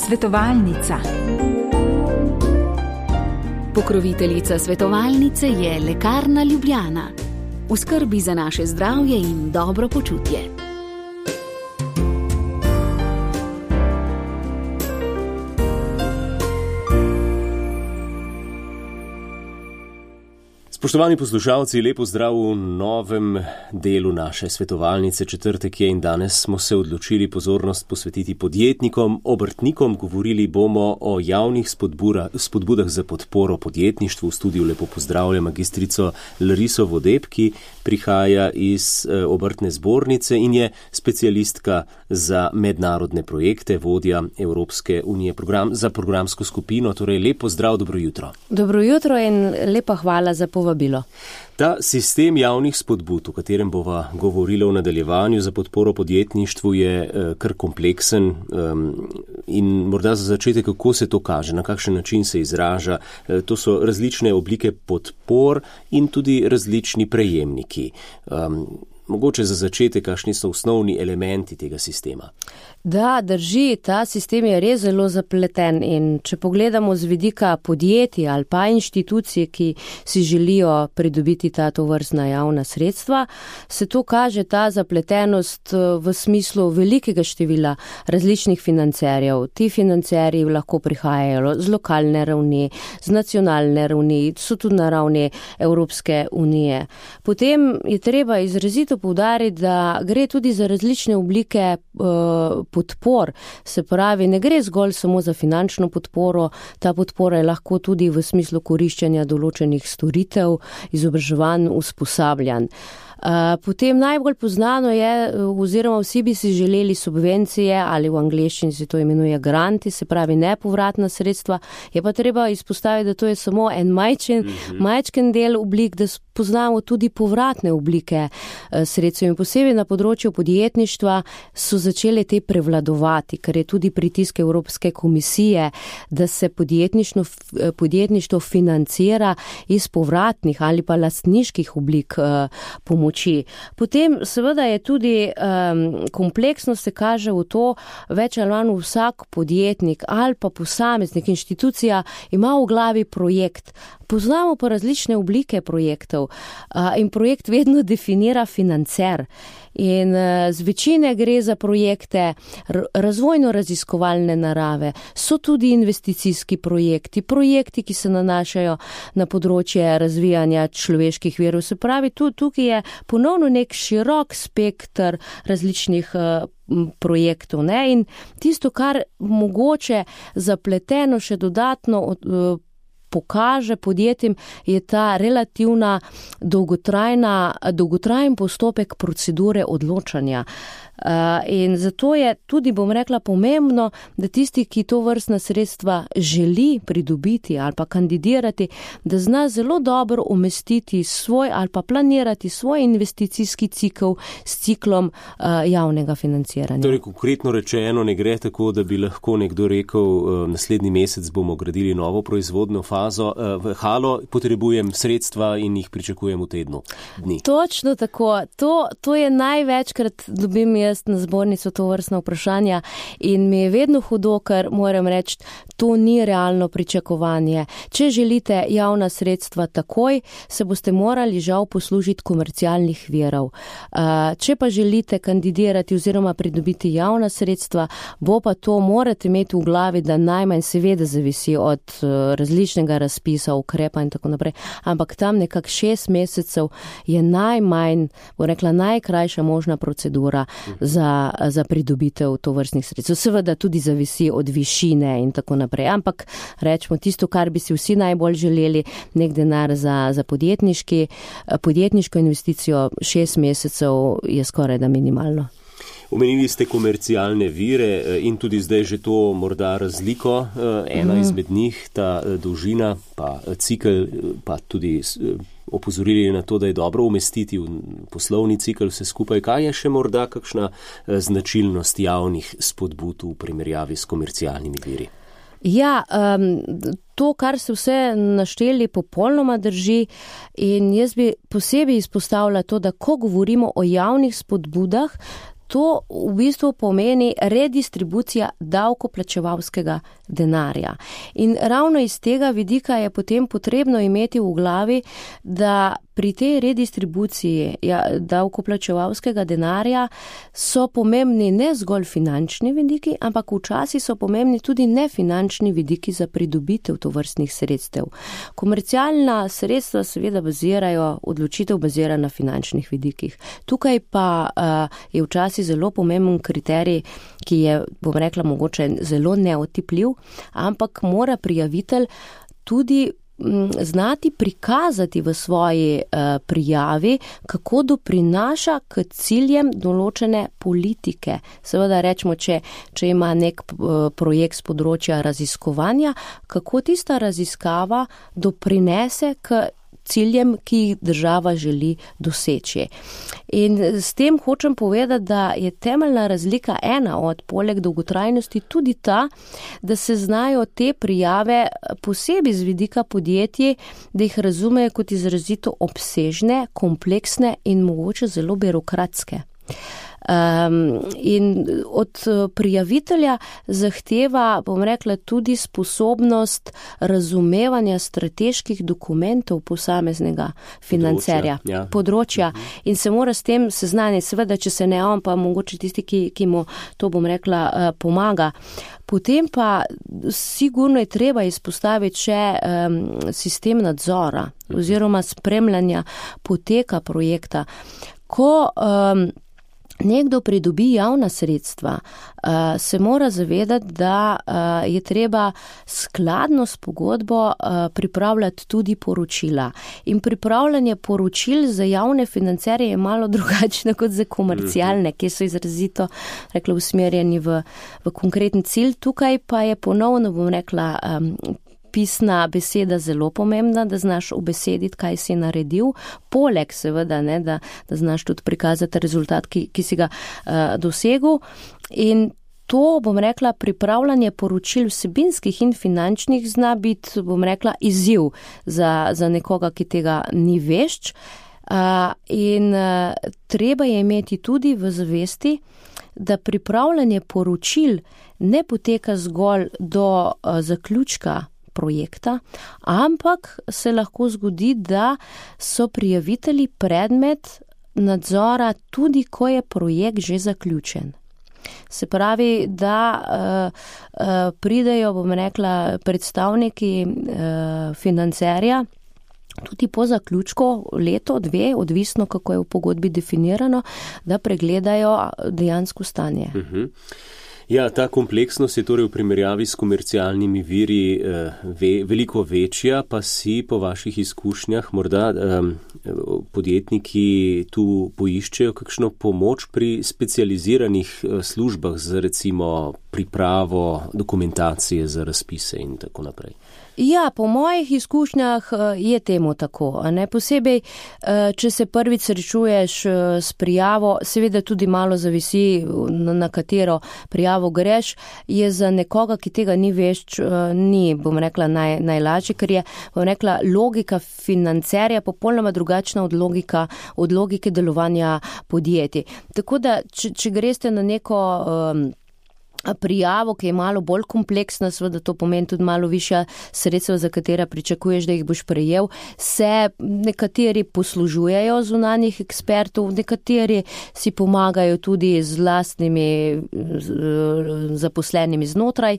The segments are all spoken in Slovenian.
Svetovalnica. Pokroviteljica svetovalnice je Lekarna Ljubljana. V skrbi za naše zdravje in dobro počutje. Spoštovani poslušalci, lepo zdrav v novem delu naše svetovalnice. Četrtek je in danes smo se odločili pozornost posvetiti podjetnikom, obrtnikom. Govorili bomo o javnih spodbudah za podporo podjetništvu. V studiu lepo pozdravljam magistrico Lariso Vodeb, ki prihaja iz obrtne zbornice in je specialistka za mednarodne projekte, vodja Evropske unije za programsko skupino. Torej, lepo zdrav, dobro jutro. Dobro jutro in lepa hvala za povabilo. Ta sistem javnih spodbud, o katerem bova govorila v nadaljevanju za podporo podjetništvu, je kar kompleksen in morda za začetek, kako se to kaže, na kakšen način se izraža. To so različne oblike podpor in tudi različni prejemniki. Mogoče za začetek, kakšni so osnovni elementi tega sistema? Da, drži, ta sistem je res zelo zapleten in če pogledamo z vidika podjetij ali pa inštitucij, ki si želijo pridobiti ta tovrstna javna sredstva, se to kaže ta zapletenost v smislu velikega števila različnih financerjev. Ti financerji lahko prihajajo z lokalne ravni, z nacionalne ravni, so tudi na ravni Evropske unije. Potem je treba izrazito poudariti, da gre tudi za različne oblike podpor, se pravi, ne gre zgolj samo za finančno podporo, ta podpora je lahko tudi v smislu koriščenja določenih storitev, izobraževanj, usposabljanj. Potem najbolj poznano je, oziroma vsi bi si želeli subvencije ali v angleščini se to imenuje granti, se pravi nepovratna sredstva, je pa treba izpostaviti, da to je samo en majčken del oblik, da poznamo tudi povratne oblike sredstev in posebej na področju podjetništva so začele te prevladovati, ker je tudi pritisk Evropske komisije, da se podjetništvo financira iz povratnih ali pa lastniških oblik pomoči. Potem seveda je tudi kompleksnost se kaže v to, več ali manj vsak podjetnik ali pa posameznik, inštitucija ima v glavi projekt. Poznamo pa različne oblike projektov in projekt vedno definira financer. In z večine gre za projekte razvojno-raziskovalne narave, so tudi investicijski projekti, ki se nanašajo na področje razvijanja človeških virov. Se pravi, tukaj je ponovno nek širok spektr različnih projektov, ne? In tisto, kar mogoče zapleteno še dodatno pokaže podjetjem, je ta relativna dolgotrajen postopek procedure odločanja. In zato je tudi, bom rekla, pomembno, da tisti, ki to vrstna sredstva želi pridobiti ali pa kandidirati, da zna zelo dobro umestiti svoj ali pa planirati svoj investicijski cikl s ciklom javnega financiranja. Torej, konkretno rečeno, ne gre tako, da bi lahko nekdo rekel, naslednji mesec bomo gradili novo proizvodno fazo, v halo potrebujem sredstva in jih pričakujem v tednu dni. Točno tako. To je največkrat dobim jaz na zbornico to vrstna vprašanja in mi je vedno hudo, ker moram reči, to ni realno pričakovanje. Če želite javna sredstva takoj, se boste morali žal poslužiti komercialnih virov. Če pa želite kandidirati oziroma pridobiti javna sredstva, bo pa to morate imeti v glavi, da najmanj seveda zavisi od različnega razpisa, ukrepa in tako naprej, ampak tam nekak 6 mesecev je najmanj, bo rekla, najkrajša možna procedura za pridobitev tovrstnih sredstev. Seveda tudi zavisi od višine in tako naprej, ampak rečemo tisto, kar bi si vsi najbolj želeli, nek denar za podjetniško investicijo, 6 mesecev je skoraj da minimalno. Omenili ste komercialne vire in tudi zdaj že to morda razliko, ena izmed njih, ta dolžina, pa cikl, pa tudi opozorili na to, da je dobro umestiti v poslovni cikl vse skupaj. Kaj je še morda kakšna značilnost javnih spodbud v primerjavi s komercialnimi viri? Ja, to, kar se vse našteli, popolnoma drži in jaz bi posebej izpostavila to, da ko govorimo o javnih spodbudah, to v bistvu pomeni redistribucija davkoplačevalskega denarja. In ravno iz tega vidika je potem potrebno imeti v glavi, da pri tej redistribuciji davkoplačevalskega denarja so pomembni ne zgolj finančni vidiki, ampak včasih so pomembni tudi nefinančni vidiki za pridobitev tovrstnih sredstev. Komercialna sredstva seveda odločitev bazira na finančnih vidikih. Tukaj pa je včasih zelo pomemben kriterij, ki je, bom rekla, mogoče zelo neotipljiv, ampak mora prijavitelj tudi znati prikazati v svoji prijavi, kako doprinaša k ciljem določene politike. Seveda rečemo, če ima nek projekt z področja raziskovanja, kako tista raziskava doprinese k ciljem, ki jih država želi doseči. In s tem hočem povedati, da je temeljna razlika poleg dolgotrajnosti tudi ta, da se znajo te prijave posebej z vidika podjetij, da jih razumejo kot izrazito obsežne, kompleksne in mogoče zelo birokratske. In od prijavitelja zahteva, bom rekla, tudi sposobnost razumevanja strateških dokumentov posameznega financerja, področja. In se mora s tem seznaniti, seveda, če se ne on, pa mogoče tisti, ki mu to, bom rekla, pomaga. Potem pa sigurno je treba izpostaviti še sistem nadzora oziroma spremljanja poteka projekta. Ko nekdo pridobi javna sredstva, se mora zavedati, da je treba skladno s pogodbo pripravljati tudi poročila. In pripravljanje poročil za javne financerje je malo drugačno kot za komercialne, ki so izrazito, rekla, usmerjeni v konkreten cilj. Tukaj pa je ponovno, bom rekla, pisna beseda zelo pomembna, da znaš ubesediti, kaj si naredil, poleg seveda, da znaš tudi prikazati rezultat, ki si ga dosegel. In to, bom rekla, pripravljanje poročil vsebinskih in finančnih zna biti, bom rekla, izziv za nekoga, ki tega ni vešč. In treba je imeti tudi v zavesti, da pripravljanje poročil ne poteka zgolj do zaključka projekta, ampak se lahko zgodi, da so prijavitelji predmet nadzora tudi, ko je projekt že zaključen. Se pravi, da pridejo, bom rekla, predstavniki financerja tudi po zaključku, leto, dve, odvisno kako je v pogodbi definirano, da pregledajo dejansko stanje. Ja, ta kompleksnost je torej v primerjavi s komercialnimi viri veliko večja, pa si po vaših izkušnjah morda podjetniki tu poiščejo kakšno pomoč pri specializiranih službah za recimo pripravo dokumentacije za razpise in tako naprej. Ja, po mojih izkušnjah je temu tako. Posebej, če se prvič srečuješ s prijavo, seveda tudi malo zavisi, na katero prijavo greš, je za nekoga, ki tega ni vešč, ni, bom rekla, najlažje, ker je, bom rekla, logika financerja popolnoma drugačna od logike delovanja podjetij. Tako da, če greste na neko prijavo, ki je malo bolj kompleksna, seveda to pomeni tudi malo višja sredstva, za katera pričakuješ, da jih boš prejel, se nekateri poslužujejo zunanjih ekspertov, nekateri si pomagajo tudi z lastnimi zaposlenimi znotraj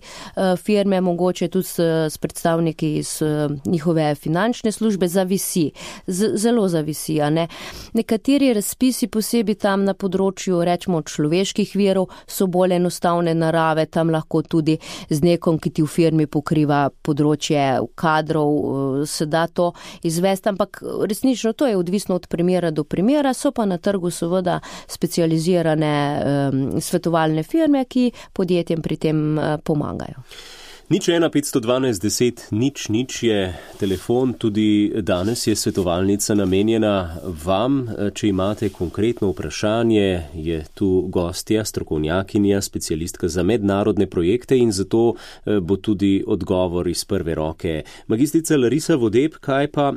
firme, mogoče tudi s predstavniki iz njihove finančne službe, zavisi, zelo zavisi, ne. Nekateri razpisi posebej tam na področju, rečemo, človeških virov so bolj enostavne narave, tam lahko tudi z nekom, ki ti v firmi pokriva področje kadrov, se da to izvesti, ampak resnično to je odvisno od primera do primera, so pa na trgu seveda specializirane svetovalne firme, ki podjetjem pri tem pomagajo. 01512 10 000 je telefon, tudi danes je svetovalnica namenjena vam. Če imate konkretno vprašanje, je tu gostja, strokovnjakinja, specialistka za mednarodne projekte in zato bo tudi odgovor iz prve roke. Magistrica Larisa Vodeb, kaj pa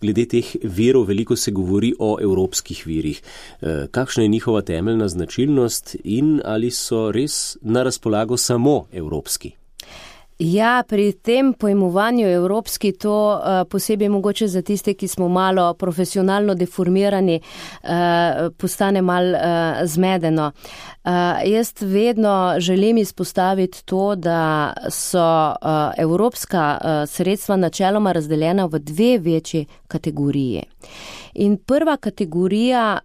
glede teh virov veliko se govori o evropskih virih. Kakšna je njihova temeljna značilnost in ali so res na razpolago samo evropski? Ja, pri tem pojmovanju evropski to posebej mogoče za tiste, ki smo malo profesionalno deformirani, postane malo zmedeno. Jaz vedno želim izpostaviti to, da so evropska sredstva načeloma razdeljena v dve večji kategoriji. In prva kategorija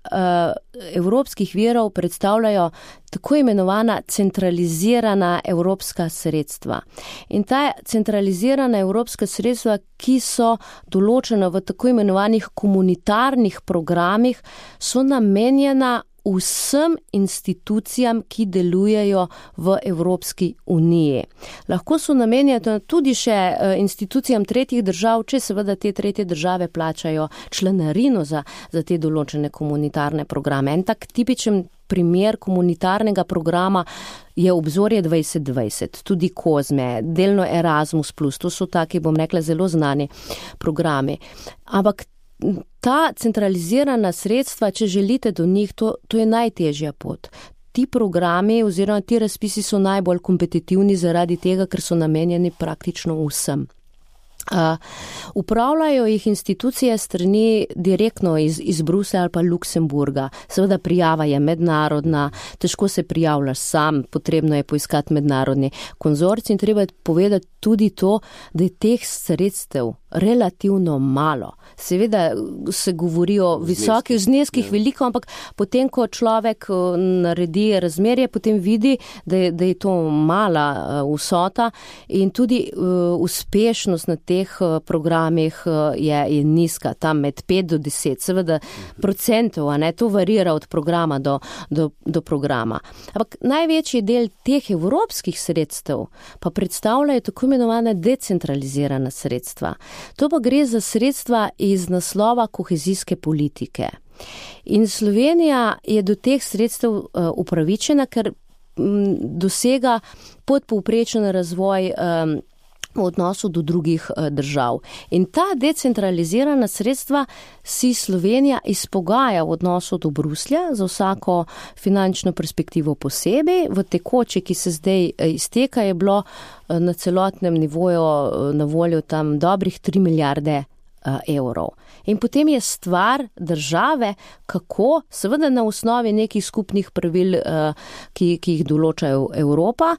evropskih virov predstavljajo tako imenovana centralizirana evropska sredstva. In ta centralizirana evropska sredstva, ki so določena v tako imenovanih komunitarnih programih, so namenjena vsem institucijam, ki delujejo v Evropski uniji. Lahko so namenjene tudi še institucijam tretjih držav, če seveda te tretje države plačajo članarino za te določene komunitarne programe. En tak tipičen primer komunitarnega programa je Obzorje 2020, tudi Kozme, delno Erasmus+, to so taki, bom rekla, zelo znani programi. Ampak ta centralizirana sredstva, če želite do njih, to je najtežja pot. Ti programi oziroma ti razpisi so najbolj kompetitivni zaradi tega, ker so namenjeni praktično vsem. Upravljajo jih institucije strani direktno iz Bruslja ali pa Luksemburga. Seveda prijava je mednarodna, težko se prijavljaš sam, potrebno je poiskati mednarodni konzorcij in treba je povedati tudi to, da je teh sredstev relativno malo. Seveda se govori o visokih zneskih, veliko, ampak potem, ko človek naredi razmerje, potem vidi, da je to mala vsota in tudi uspešnost na teh programih je nizka, tam med 5 do 10, seveda procentov, to varira od programa do programa. Ampak največji del teh evropskih sredstev pa predstavljajo tako imenovane decentralizirana sredstva. To pa gre za sredstva iz naslova kohezijske politike. In Slovenija je do teh sredstev upravičena, ker dosega podpovprečen razvoj v odnosu do drugih držav. In ta decentralizirana sredstva si Slovenija izpogaja v odnosu do Bruslja za vsako finančno perspektivo posebej. V tekoči, ki se zdaj izteka, je bilo na celotnem nivoju na voljo tam dobrih 3 milijarde evrov. In potem je stvar države, kako, seveda na osnovi nekih skupnih pravil, ki jih določajo Evropa,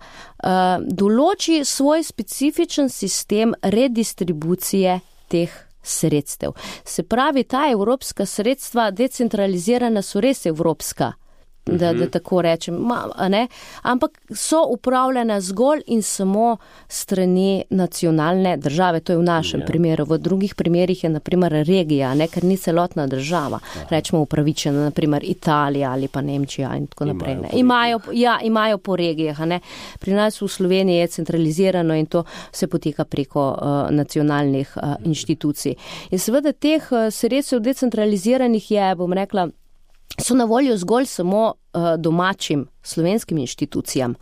določi svoj specifičen sistem redistribucije teh sredstev. Se pravi, ta evropska sredstva decentralizirana so res evropska, da tako rečem, ampak so upravljena zgolj in samo strani nacionalne države, to je v našem primeru. V drugih primerih je naprimer regija, ker ni celotna država, rečemo upravičena, naprimer Italija ali pa Nemčija in tako naprej. Imajo po regijah. Pri nas v Sloveniji je centralizirano in to se poteka preko nacionalnih inštitucij. In seveda teh sredstev decentraliziranih je, bom rekla, so na voljo zgolj samo domačim slovenskim inštitucijam.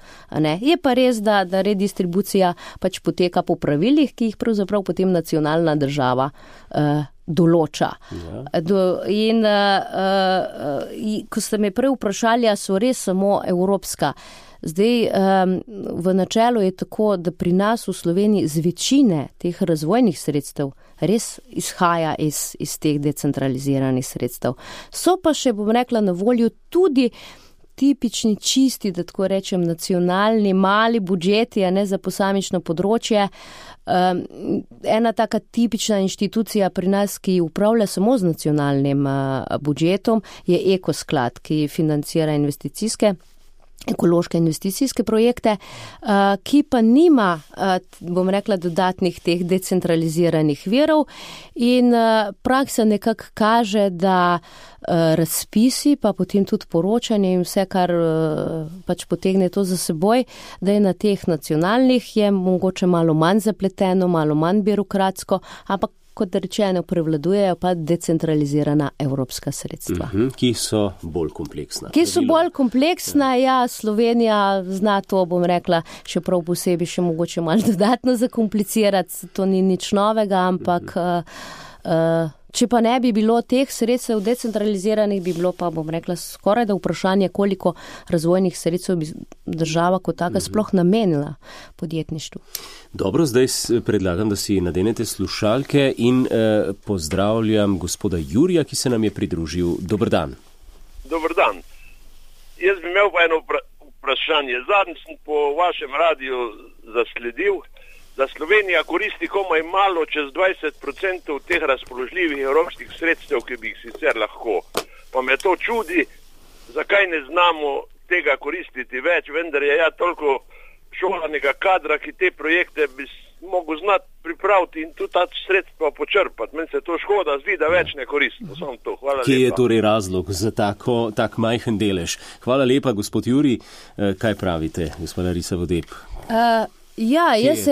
Je pa res, da redistribucija pač poteka po pravilih, ki jih pravzaprav potem nacionalna država določa. In ko ste me prej vprašali, so res samo evropska. Zdaj, v načelu je tako, da pri nas v Sloveniji z večine teh razvojnih sredstev res izhaja iz teh decentraliziranih sredstev. So pa še, bom rekla, na voljo tudi tipični čisti, da tako rečem, nacionalni, mali budžeti, za posamično področje. Ena taka tipična inštitucija pri nas, ki upravlja samo z nacionalnim budžetom, je Ekosklad, ki financira ekološke investicijske projekte, ki pa nima, bom rekla, dodatnih teh decentraliziranih virov in praksa nekako kaže, da razpisi, pa potem tudi poročanje in vse, kar pač potegne to za seboj, da je na teh nacionalnih je mogoče malo manj zapleteno, malo manj birokratsko, ampak kot rečeno, prevladujejo pa decentralizirana evropska sredstva. Ki so bolj kompleksna. Slovenija zna to, bom rekla, še prav posebej še mogoče malo dodatno zakomplicirati. To ni nič novega, ampak Če pa ne bi bilo teh sredstev decentraliziranih, bi bilo pa, bom rekla, skoraj da vprašanje, koliko razvojnih sredstev bi država kot taka sploh namenila podjetništvu. Dobro, zdaj predlagam, da si nadenete slušalke in pozdravljam gospoda Jurija, ki se nam je pridružil. Dober dan. Dober dan. Jaz bi imel pa eno vprašanje. Zadnjič sem po vašem radiju zasledil, da Slovenija koristi komaj malo čez 20% teh razpoložljivih evropskih sredstev, ki bi jih sicer lahko. Pa me to čudi, zakaj ne znamo tega koristiti več, vendar je toliko šolanega kadra, ki te projekte bi mogel znati pripraviti in tudi ta sredstva počrpati. Meni se to škoda zdi, da več ne koristimo. Samo to. Hvala lepa. Kje je torej razlog za tak majhen delež? Hvala lepa, gospod Juri. Kaj pravite, gospod Larisa Vodeb? Jaz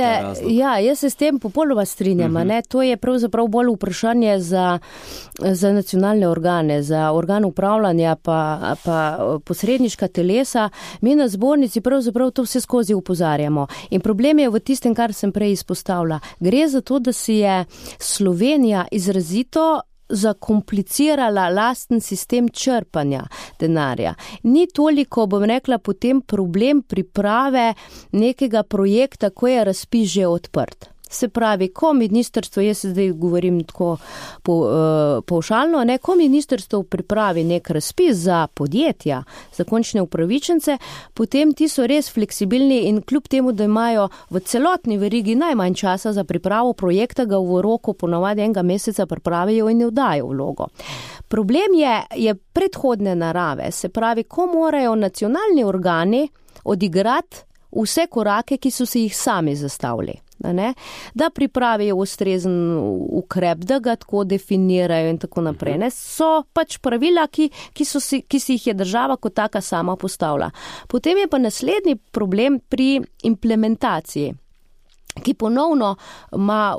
se s tem popolnoma strinjam. To je pravzaprav bolj vprašanje za nacionalne organe, za organ upravljanja pa posredniška telesa. Mi na zbornici pravzaprav to vse skozi upozarjamo. In problem je v tistem, kar sem prej izpostavila. Gre za to, da si je Slovenija izrazito zakomplicirala lasten sistem črpanja denarja. Ni toliko, bom rekla, potem problem priprave nekega projekta, ko je razpis že odprt. Se pravi, ko ministrstvo, jaz zdaj govorim tako pavšalno, ko ministrstvo pripravi nek razpis za podjetja, za končne upravičence, potem ti so res fleksibilni in kljub temu, da imajo v celotni verigi najmanj časa za pripravo projekta, ga v roku ponavadi enega meseca pripravijo in ne vdajo vlogo. Problem je predhodne narave, se pravi, ko morajo nacionalni organi odigrati vse korake, ki so si jih sami zastavili. Da pripravijo ustrezen ukrep, da ga tako definirajo in tako naprej. So pač pravila, ki si jih je država kot taka sama postavila. Potem je pa naslednji problem pri implementaciji, ki ponovno ima,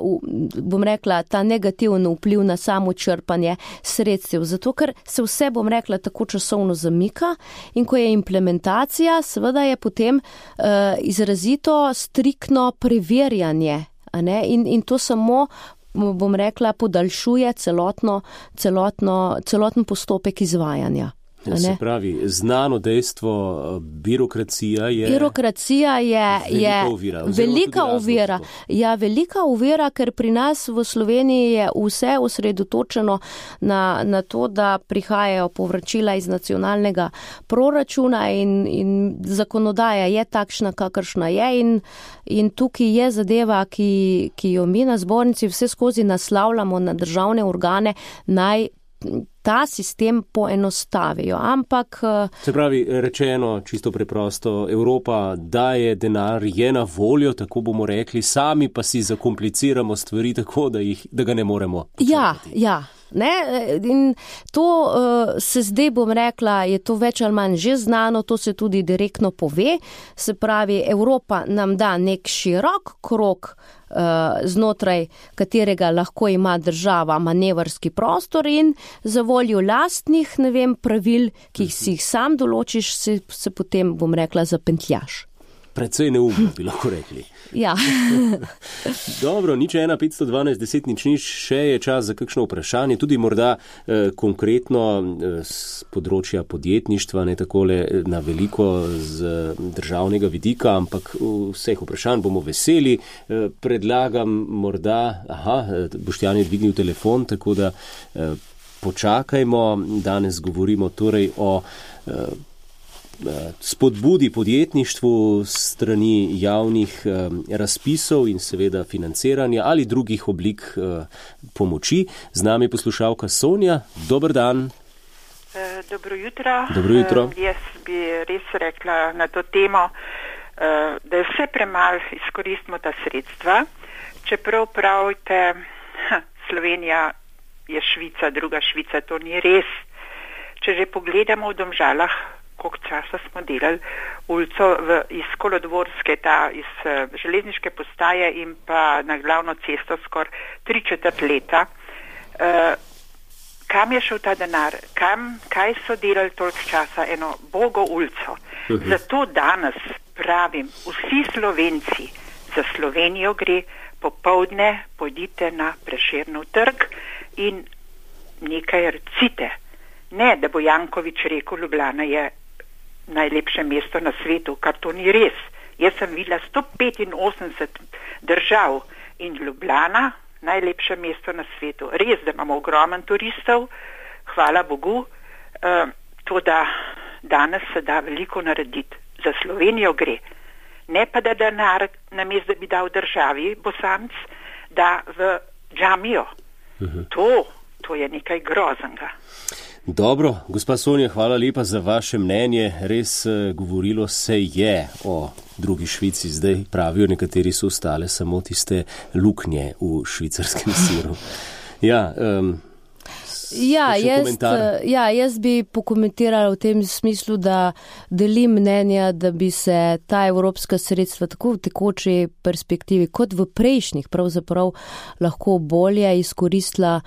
bom rekla, ta negativni vpliv na samo črpanje sredstev. Zato, ker se vse, bom rekla, tako časovno zamika in ko je implementacija, seveda je potem izrazito striktno preverjanje. In to samo, bom rekla, podaljšuje celoten postopek izvajanja. Se pravi, znano dejstvo, birokracija je velika ovira. Ja, velika ovira, ker pri nas v Sloveniji je vse osredotočeno na to, da prihajajo povračila iz nacionalnega proračuna in zakonodaja je takšna, kakršna je in tukaj je zadeva, ki jo mi na zbornici vse skozi naslavljamo na državne organe, naj ta sistem poenostavijo, ampak... Se pravi, rečeno, čisto preprosto, Evropa daje denar, je na voljo, tako bomo rekli, sami pa si zakompliciramo stvari tako, da ga ne moremo počrpati. Ja. In to se zdaj, bom rekla, je to več ali manj že znano, to se tudi direktno pove, se pravi, Evropa nam da nek širok krog, znotraj katerega lahko ima država manevrski prostor in za voljo lastnih, pravil, ki si jih sam določiš, se potem, bom rekla, zapentljaš. Precej neumno bi lahko rekli. Ja. Dobro, 01512 še je čas za kakšno vprašanje, tudi morda konkretno z področja podjetništva, ne takole na veliko z državnega vidika, ampak vseh vprašanj bomo veseli. Predlagam morda, Boštjan je dvignil telefon, tako da počakajmo. Danes govorimo torej o spodbudi podjetništvu strani javnih razpisov in seveda financiranja ali drugih oblik pomoči. Z nami poslušalka Sonja. Dober dan. Dobro jutro. Dobro jutro. Jaz bi res rekla na to temo, da je vse premalo izkoristimo ta sredstva. Čeprav pravite, Slovenija je Švica, druga Švica, to ni res. Če že pogledamo v Domžalah, koliko časa smo delali ulico iz Kolodvorske, iz železniške postaje in pa na glavno cesto skoraj 3/4 leta. Kam je šel ta denar? Kaj so delali toliko časa? Eno bogo ulico. Zato danes pravim, vsi Slovenci, za Slovenijo gre, popoldne pojdite na Prešernov trg in nekaj recite. Ne, da bo Janković rekel, Ljubljana je najlepše mesto na svetu, kar to ni res. Jaz sem videla 185 držav in Ljubljana najlepše mesto na svetu. Res, da imamo ogromen turistov, hvala Bogu, to da danes se da veliko narediti. Za Slovenijo gre. Ne pa da denar, namesto da bi dal državi Bosanc, da v džamijo. To je nekaj groznega. Dobro, gospa Sonja, hvala lepa za vaše mnenje. Res govorilo se je o drugi Švici, zdaj pravijo nekateri so ostale samo tiste luknje v švicarskem siru. Jaz bi pokomentirala v tem smislu, da delim mnenja, da bi se ta evropska sredstva tako v tekoči perspektivi kot v prejšnjih pravzaprav lahko bolje izkoristila.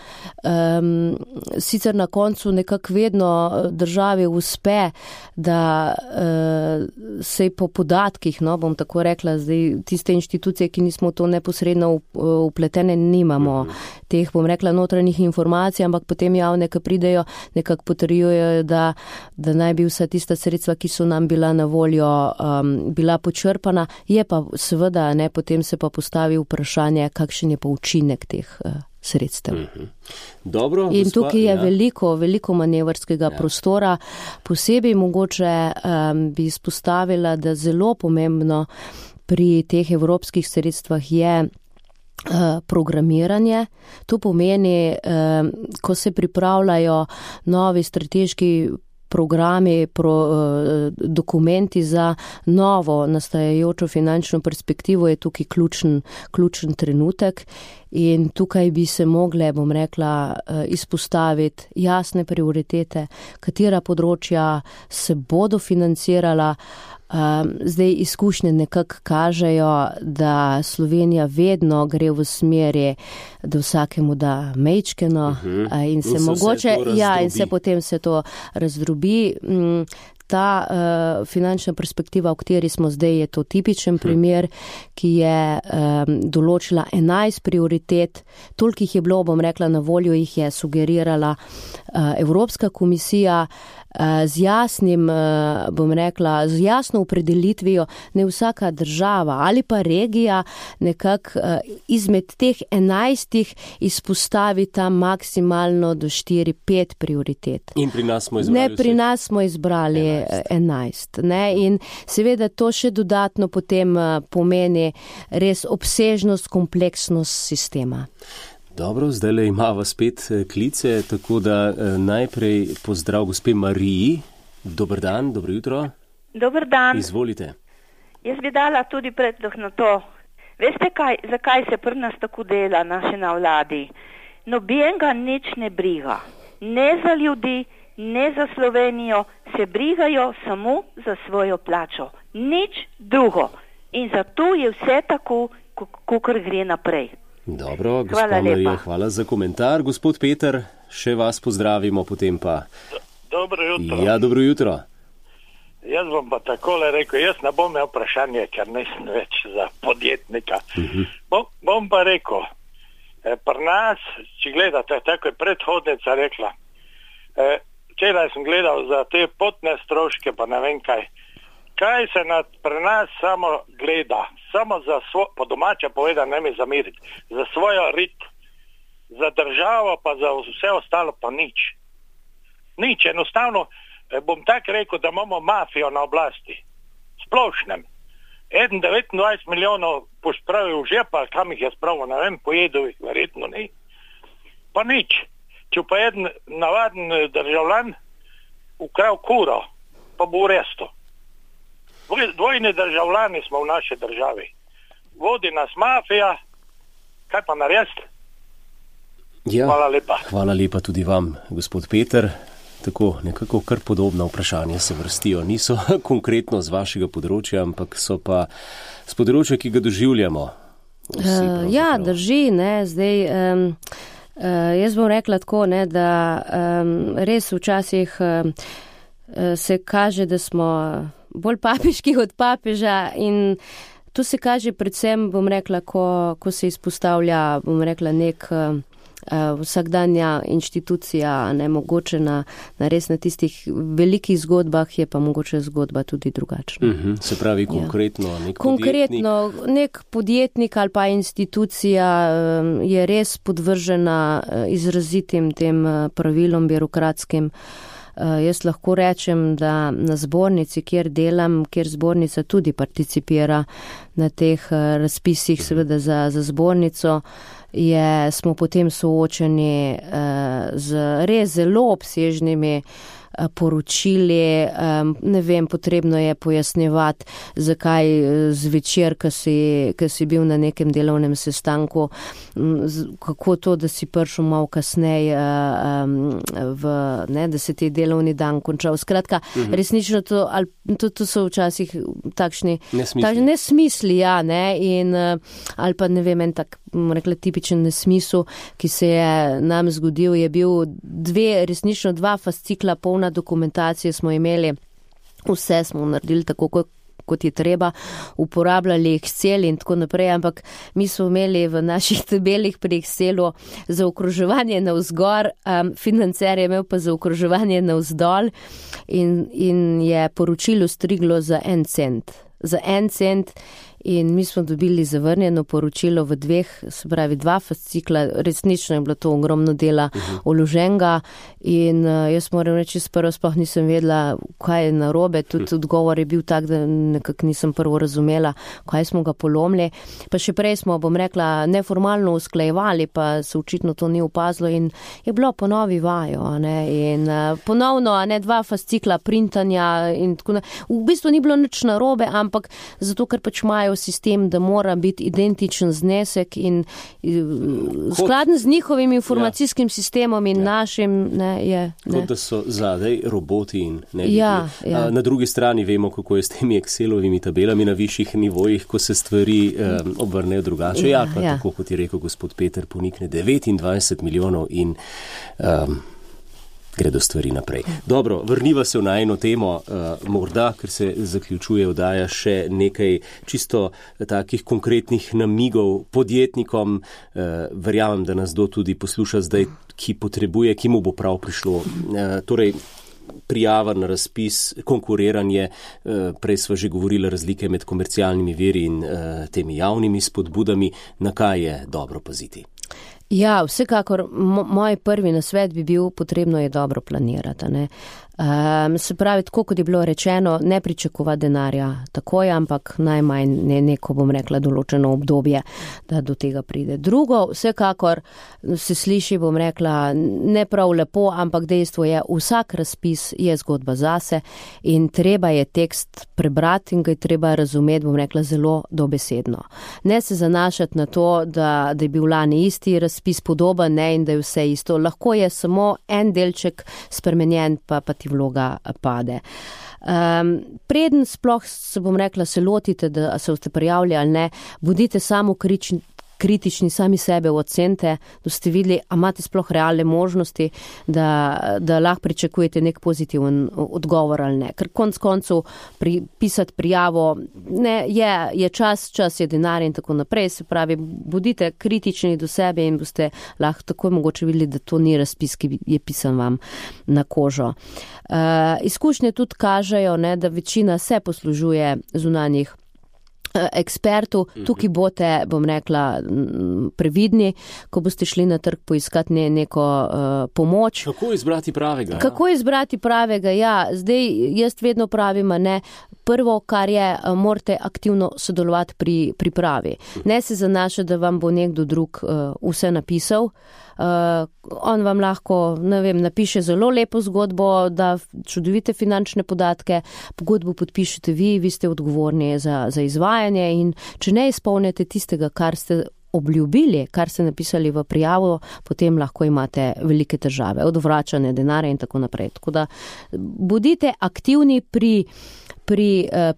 Sicer na koncu nekako vedno državi uspe, da se po podatkih, bom tako rekla, zdaj tiste inštitucije, ki nismo to neposredno upletene, nimamo teh, bom rekla, notranjih informacij, ampak potem javne, ki pridejo, nekako potrjujejo, da naj bi vsa tista sredstva, ki so nam bila na voljo, bila počrpana. Je pa seveda, potem se pa postavi vprašanje, kakšen je pa učinek teh sredstev. Dobro, in tukaj je veliko manevrskega prostora. Posebej mogoče bi izpostavila, da zelo pomembno pri teh evropskih sredstvah je programiranje. To pomeni, ko se pripravljajo novi strateški programi, dokumenti za novo nastajajočo finančno perspektivo, je tukaj ključen trenutek in tukaj bi se mogle, bom rekla, izpostaviti jasne prioritete, katera področja se bodo financirala. Zdaj izkušnje nekako kažejo, da Slovenija vedno gre v smeri, da vsakemu da mejčkeno in se mogoče, in se potem se to razdrobi. Ta finančna perspektiva, v kateri smo zdaj, je to tipičen primer, ki je določila 11 prioritet. Toliko jih je bilo, bom rekla, na voljo, jih je sugerirala Evropska komisija z jasnim, bom rekla, z jasno opredelitvijo, ne vsaka država ali pa regija nekako izmed teh 11 izpostavi tam maksimalno do 4-5 prioritet. In pri nas smo izbrali pri nas smo izbrali 11. In seveda to še dodatno potem pomeni res obsežnost, kompleksnost sistema. Dobro, zdaj imava spet klice, tako da najprej pozdrav gospe Mariji. Dober dan, dobro jutro. Dober dan. Izvolite. Jaz bi dala tudi predlog na to. Veste zakaj se pri nas tako dela naše na vladi? Nobenega nič ne briga. Ne za ljudi, ne za Slovenijo, se brigajo samo za svojo plačo. Nič drugo. In zato je vse tako, kakor gre naprej. Dobro, gospa Marija, hvala za komentar. Gospod Peter, še vas pozdravimo, potem pa. Dobro jutro. Ja, dobro jutro. Jaz bom pa takole rekel, jaz ne bom imel vprašanje, ker nisem več za podjetnika. Bom pa rekel, pri nas, če gledate, tako je predhodnica rekla, včeraj sem gledal za te potne stroške, pa ne vem kaj se pri nas samo gleda, samo za po domače povedano, ne mi zamiriti, za svojo rit, za državo pa za vse ostalo pa nič. Nič, enostavno bom tako rekel, da imamo mafijo na oblasti, splošnem. 29 milijonov pospravil v žepa, kam jih je spravil, ne vem, pojedel jih, verjetno ni. Pa nič. Če pa jeden navaden državljan ukral kuro, pa bo v restu. Dvojni državljani smo v naši državi. Vodi nas mafija, kaj pa narediti? Ja, hvala lepa. Hvala lepa tudi vam, gospod Peter. Tako nekako kar podobna vprašanja se vrstijo. Niso konkretno z vašega področja, ampak so pa z področja, ki ga doživljamo. Drži, zdaj, jaz bom rekla tako, da res včasih se kaže, da smo bolj papiški od papeža in to se kaže predvsem, bom rekla, ko se izpostavlja, bom rekla, nek vsakdanja inštitucija, ne mogoče na res na tistih velikih zgodbah, je pa mogoče zgodba tudi drugačna. Se pravi, konkretno nek konkretno, nek podjetnik ali pa institucija je res podvržena izrazitim tem pravilom birokratskim. Jaz lahko rečem, da na zbornici, kjer delam, kjer zbornica tudi participira na teh razpisih, seveda za zbornico, smo potem soočeni z res zelo obsežnimi poročili, ne vem, potrebno je pojasnjevati, zakaj zvečer, ko si bil na nekem delovnem sestanku, kako to, da si prišel malo kasneje, da se ti delovni dan končal. Skratka, resnično to so včasih takšni nesmisli, ja, ne, in ali pa ne vem, en tak, rekla, tipičen nesmisel, ki se je nam zgodil, je bil resnično 2 fascikla polna dokumentacije smo imeli, vse smo naredili tako, kot je treba, uporabljali Excel in tako naprej, ampak mi smo imeli v naših tabelih pri Excelu za okroževanje navzgor, financer je imel pa za okroževanje navzdol in je poročilo striglo za 1 cent. Za 1 cent in mi smo dobili zavrnjeno poročilo v 2, se pravi 2 fascikla, resnično je bilo to ogromno dela vloženega in jaz moram reči, prvo sploh nisem vedela, kaj je narobe, tudi odgovor je bil tak, da nekako nisem prvo razumela, kaj smo ga polomili, pa še prej smo, bom rekla, neformalno usklajevali, pa se očitno to ni opazilo in je bilo ponovi vajo, ne, in ponovno, ne, 2 fascikla printanja in tako naprej. V bistvu ni bilo nič narobe, ampak zato, ker pač imajo sistem, da mora biti identičen znesek in skladen z njihovim informacijskim sistemom in našim, ne, je. Kot da so zadej roboti in ne ljudje. Na drugi strani vemo, kako je s temi Excelovimi tabelami na višjih nivojih, ko se stvari obrnejo drugače. Tako kot je rekel gospod Peter, ponikne 29 milijonov in gredo stvari naprej. Dobro, vrniva se v najino temo, morda, ker se zaključuje oddaja, še nekaj čisto takih konkretnih namigov podjetnikom. Verjamem, da nas do tudi posluša zdaj, ki potrebuje, ki mu bo prav prišlo. Torej, prijava na razpis, konkuriranje, prej sva že govorila razlike med komercialnimi viri in temi javnimi spodbudami, na kaj je dobro paziti? Ja, vsekakor, moj prvi nasvet bi bil, potrebno je dobro planirati, ne. Se pravi, tako kot je bilo rečeno, ne pričakovati denarja takoj, ampak najmanj neko, bom rekla, določeno obdobje, da do tega pride. Drugo, vsekakor se sliši, bom rekla, ne prav lepo, ampak dejstvo je, vsak razpis je zgodba zase in treba je tekst prebrati in ga je treba razumeti, bom rekla, zelo dobesedno. Ne se zanašati na to, da je bil lani isti razpis podoben, ne, in da je vse isto. Lahko je samo en delček spremenjen, pa ti vloga pade. Preden sploh se, bom rekla, se lotite, da se boste prijavili ali ne, bodite samo kritični, sami sebe ocenite, da ste videli, a imate sploh realne možnosti, da lahko pričakujete nek pozitiven odgovor ali ne. Ker konec koncev pisati prijavo, ne, je čas je denar in tako naprej, se pravi, bodite kritični do sebe in boste lahko takoj mogoče videli, da to ni razpis, ki je pisan vam na kožo. Izkušnje tudi kažejo, ne, da večina se poslužuje zunanjih ekspertov, tukaj boste, bom rekla, previdni, ko boste šli na trg poiskati neko pomoč. Kako izbrati pravega? Kako izbrati pravega, ja. Zdaj, jaz vedno pravim, ne, prvo, kar je, morate aktivno sodelovati pri pripravi. Ne se zanašati, da vam bo nekdo drug vse napisal. On vam lahko, ne vem, napiše zelo lepo zgodbo, da čudovite finančne podatke, pogodbo podpišete vi ste odgovorni za izvajanje in če ne izpolnite tistega, kar ste obljubili, kar ste napisali v prijavo, potem lahko imate velike težave, od vračanja denarja in tako naprej. Tako da bodite aktivni pri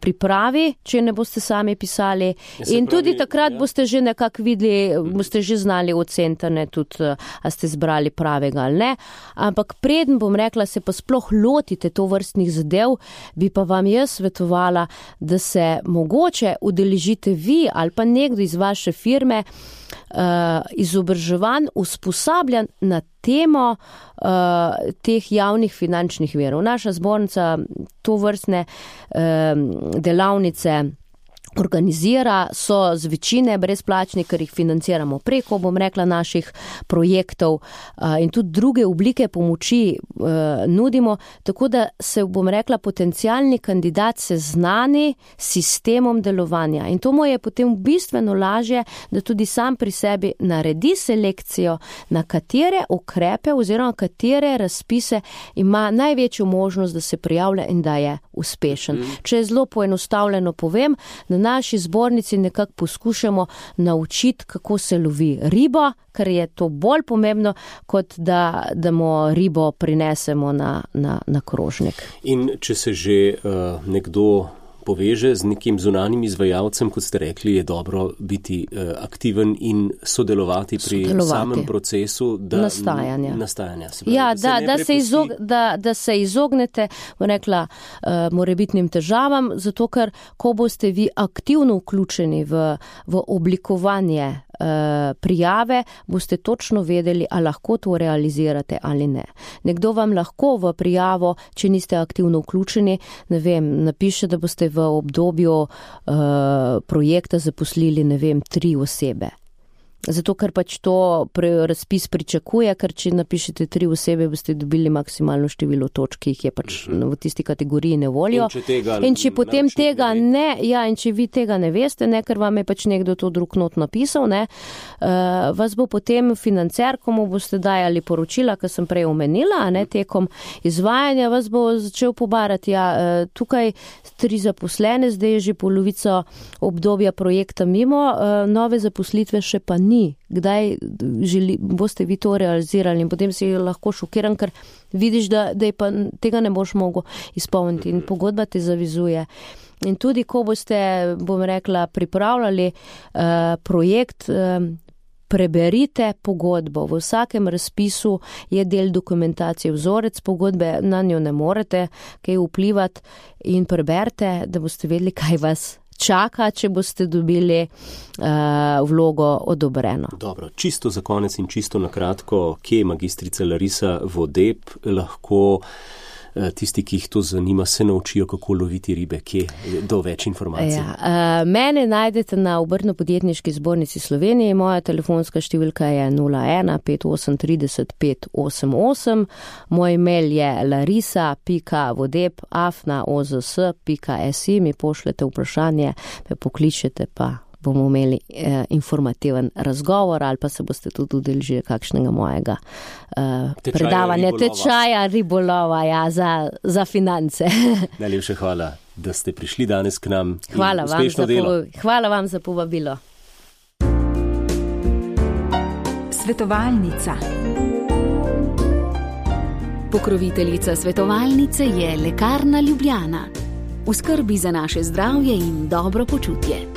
pripravi, če ne boste sami pisali in tudi takrat boste že nekako videli, boste že znali oceniti, ne, tudi, a ste zbrali pravega ali ne, ampak preden, bom rekla, se pa sploh lotite to vrstnih zadev, bi pa vam jaz svetovala, da se mogoče udeležite vi ali pa nekdo iz vaše firme izobraževanj, usposabljanj na temo teh javnih finančnih virov. Naša zbornica to vrstne delavnice organizira, so z večine brezplačni, ker jih financiramo preko, naših projektov in tudi druge oblike pomoči nudimo, tako da se, potencialni kandidat seznani s sistemom delovanja. In to mu je potem bistveno lažje, da tudi sam pri sebi naredi selekcijo, na katere ukrepe oziroma katere razpise ima največjo možnost, da se prijavlja in da je uspešen. Če zelo poenostavljeno povem, na naši zbornici nekako poskušamo naučiti, kako se lovi ribo, ker je to bolj pomembno, kot da mu ribo prinesemo na krožnik. In če se že nekdo poveže z nekim zunanjim izvajalcem, kot ste rekli, je dobro biti aktiven in sodelovati pri samem procesu nastajanja. Ja, da se izognete, morebitnim težavam, zato ker, ko boste vi aktivno vključeni v oblikovanje prijave, boste točno vedeli, ali lahko to realizirate ali ne. Nekdo vam lahko v prijavo, če niste aktivno vključeni, napiše, da boste v obdobju projekta zaposlili, 3 osebe. Zato, ker pač to razpis pričakuje, ker če napišete 3 osebe, boste dobili maksimalno število točk, ki jih je pač v tisti kategoriji ne volijo. In če potem tega ne, in če vi tega ne veste, ker vam je pač nekdo to drug not napisal, vas bo potem financer, komu boste dajali poročila, kar sem prej omenila, tekom izvajanja, vas bo začel pobarati, tukaj 3 zaposlene, zdaj je že polovico obdobja projekta mimo, nove zaposlitve še pa ni. Kdaj boste vi to realizirali in potem si lahko šokiran, ker vidiš, da je pa tega ne boš mogel izpolniti in pogodba te zavizuje. In tudi, ko boste, pripravljali projekt, preberite pogodbo. V vsakem razpisu je del dokumentacije, vzorec pogodbe, na njo ne morete kaj vplivati in preberite, da boste vedeli, kaj vas čaka, če boste dobili vlogo odobreno. Dobro, čisto za konec in čisto na kratko, kje je magistrica Larisa Vodeb, lahko tisti, ki jih to zanima, se naučijo, kako loviti ribe, kje do več informacij? Mene najdete na Obrtno-podjetniški zbornici Slovenije, moja telefonska številka je 01 5830 588, moj mail je larisa.vodeb@ozs.si, mi pošljete vprašanje, me pokličete, pa bomo imeli informativen razgovor ali pa se boste tudi udeležili kakšnega mojega predavanja, tečaja ribolova, za finance. Najlepša hvala, da ste prišli danes k nam. Hvala vam za povabilo. Svetovalnica. Pokroviteljica svetovalnice je Lekarna Ljubljana. V skrbi za naše zdravje in dobro počutje.